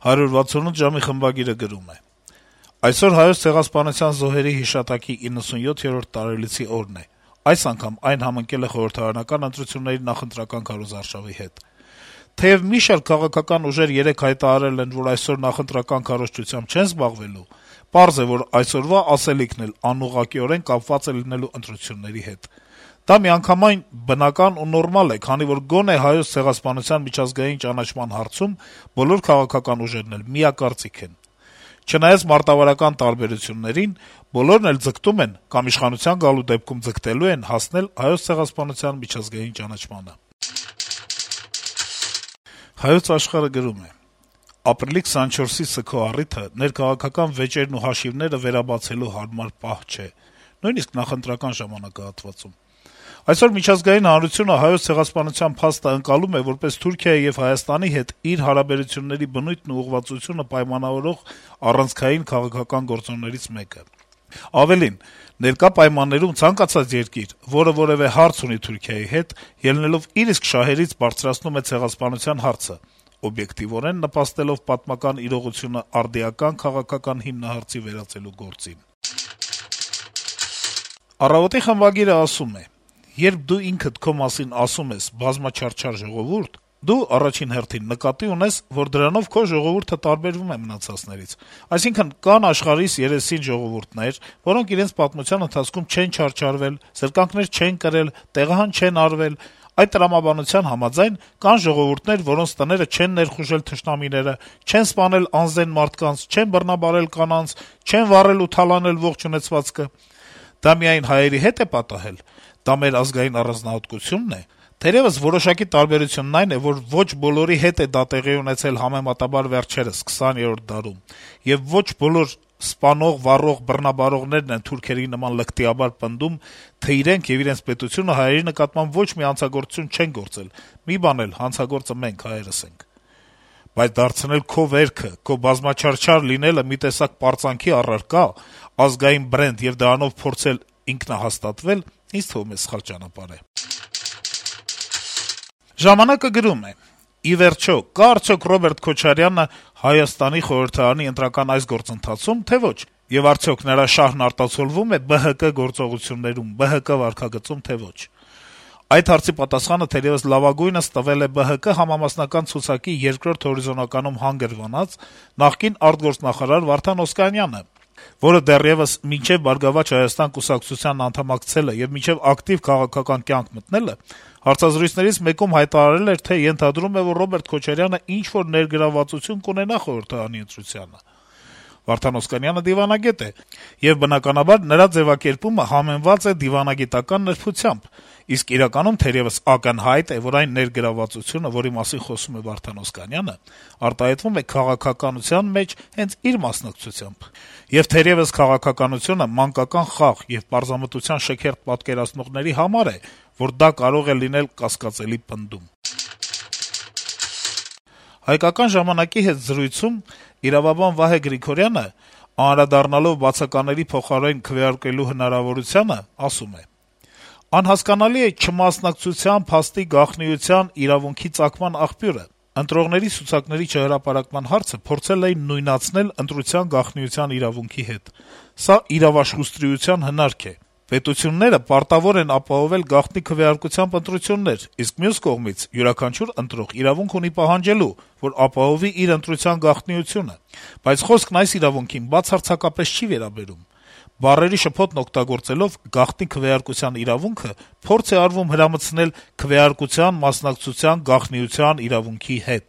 168 ժամի խմբագիրը գրում է. - Այսօր Հայոց ցեղասպանության զոհերի հիշատակի 97-րդ տարելիցի օրն է: Այս անգամ այն համընկել է խորհրդարանական ընտրությունների նախընտրական քարոզարշավի հետ: Թեեւ մի շարք քաղաքական ուժեր երեկ հայտարարել են, որ այսօր նախընտրական քարոզչությամբ չեն զբաղվելու, պարզ է, որ այսօրվա ասելիքն էլ անուղղակիորեն կապված է լինելու ընտրությունների հետ: Դա միանգամայն բնական ու նորմալ է, քանի որ գոնե Հայոց ցեղասպանության միջազգային ճանաչման հարցում բոլոր քաղաքական ուժերն էլ միակարծիք են: Չնայած մարտավարական տարբերություններին, բոլորն էլ ձգտում են կամ իշխանության գալու դեպքում ձգտելու են հասնել Հայոց ցեղասպանության միջազգային ճանաչմանը: «Հայոց Աշխարհ»-ը գրում է. - «Ապրիլի 24-ի սգո առիթը ներքաղաքական վեճերն ու հաշիվները վերաբացելու հարմար պահ չէ, նույնիսկ նախընտրական ժամանակահատվածում: Այսօր միջազգային հանրությունը Հայոց ցեղասպանության փաստը ընկալում է որպես Թուրքիայի եւ Հայաստանի հետ իր հարաբերությունների բնույթն ու ուղղվածությունը պայմանավորող առանցքային քաղաքական գործոններից մեկը: Ավելին, ներկա պայմաններում ցանկացած երկիր, որը որեւէ հարց ունի Թուրքիայի հետ, ելնելով իր իսկ շահերից բարձրացնում է ցեղասպանության հարցը, օբյեկտիվորեն նպաստելով պատմական իրողությունը արդիական քաղաքական հիմնահարցի վերածելու գործին»: «Առավոտ»-ի խմբագիրը ասում է. - «Երբ դու ինքդ քո մասին ասում ես «բազմաչարչար ժողովուրդ», դու առաջին հերթին նկատի ունես, որ դրանով քո ժողովուրդը տարբերվում է մնացածներից: Այսինքն` կան աշխարհիս երեսին ժողովուրդներ, որոնք իրենց պատմության ընթացքում չեն չարչարվել, զրկանքներ չեն կրել, տեղահան չեն արվել: Այդ տրամաբանության համաձայն, կան ժողովուրդներ, որոնց տները չեն ներխուժել թշնամիները, չեն սպանել անզեն մարդկանց, չեն բռնաբարել կանանց, չեն վառել ու թալանել ողջ ունեցվածքը: Դա միայն հայերի հետ է պատահել: Դա մեր ազգային առանձնահատկությունն է: Թերեւս որոշակի տարբերությունն այն է, որ ոչ բոլորի հետ է դա տեղի ունեցել համեմատաբար վերջերս 20-րդ դարում, եւ ոչ բոլոր սպանող, վառող, բռնաբարողներն են թուրքերի նման լկտիաբար պնդում, թե իրենք եւ իրենց պետությունը հայերի նկատմամբ ոչ մի հանցագործություն չեն գործել, մի բան էլ, հանցագործը մենք հայերս ենք: Բայց դարձնել քո վերքը, քո բազմաչարչար լինելը մի տեսակ պարծանքի առարկա, ազգային բրենդ եւ դրանով փորձել ինքնահաստատվել, ինձ թվում է սխալ ճանապարհ է»: «Ժամանակ»-ը գրում է. - «Ի վերջո, կա՞ արդյոք Ռոբերտ Քոչարյանը Հայաստանի խորհրդարանի ընտրական այս գործընթացում, թե ոչ: Եվ արդյոք նրա շահրն արտացոլվո՞ւմ է ԲՀԿ գործողություններում, ԲՀԿ վարքագծում, թե ոչ: Այդ հարցի պատասխանը թերեւս լավագույնս տվել է ԲՀԿ համամասնական ցուցակի երկրորդ հորիզոնականում հանգրվանած նախկին արտգործնախարար Վարդան Օսկանյանը, որը դեռեւս մինչեւ «Բարգավաճ Հայաստան» կուսակցությանն անդամակցելը եւ մինչեւ ակտիվ քաղաքական կյանք մտնելը հարցազրույցներից մեկում հայտարարել էր, թե ենթադրում է, որ Ռոբերտ Քոչարյանը ինչ-որ ներգրավվածություն կունենա խորհրդարանի ընտրությանը: Վարդան Օսկանյանը դիվանագետ է, եւ բնականաբար նրա ձեւակերպումը համեմված է դիվանագիտական նրբությամբ, իսկ իրականում թերեւս ակնհայտ է, որ այն ներգրավվածությունը, որի մասին խոսում է Վարդան Օսկանյանը, արտահայտվում է քաղաքականության մեջ հենց իր մասնակցությամբ: Եվ թերեւս քաղաքականությունը մանկական խաղ եւ պարզամտության շքերթ պատկերացնողների համար է, որ դա կարող է լինել կասկածելի պնդում»: «Հայկական ժամանակ»-ի հետ զրույցում իրավաբան Վահե Գրիգորյանը, անդրադառնալով բացակաների փոխարեն քվեարկելու հնարավորությանը, ասում է. - «Անհասկանալի է չմասնակցության փաստի գաղտնիության իրավունքի ծագման աղբյուրը: Ընտրողների ցուցակների չհրապարակման հարցը փորձել էին նույնացնել ընտրության գաղտնիության իրավունքի հետ: Սա իրավաշխուստրիության հնարք է: Պետությունները պարտավոր են ապահովել գաղտնի քվեարկությամբ ընտրություններ, իսկ մյուս կողմից յուրաքանչյուր ընտրող իրավունք ունի պահանջելու, որ ապահովի իր ընտրության գաղտնիությունը: Բայց խոսքն այս իրավունքին բացարձակապես չի վերաբերում: Բառերի շփոթն օգտագործելով «գաղտնի քվեարկության իրավունքը» փորձ է արվում հրամցնել «քվեարկության մասնակցության գաղտնիության իրավունքի» հետ»: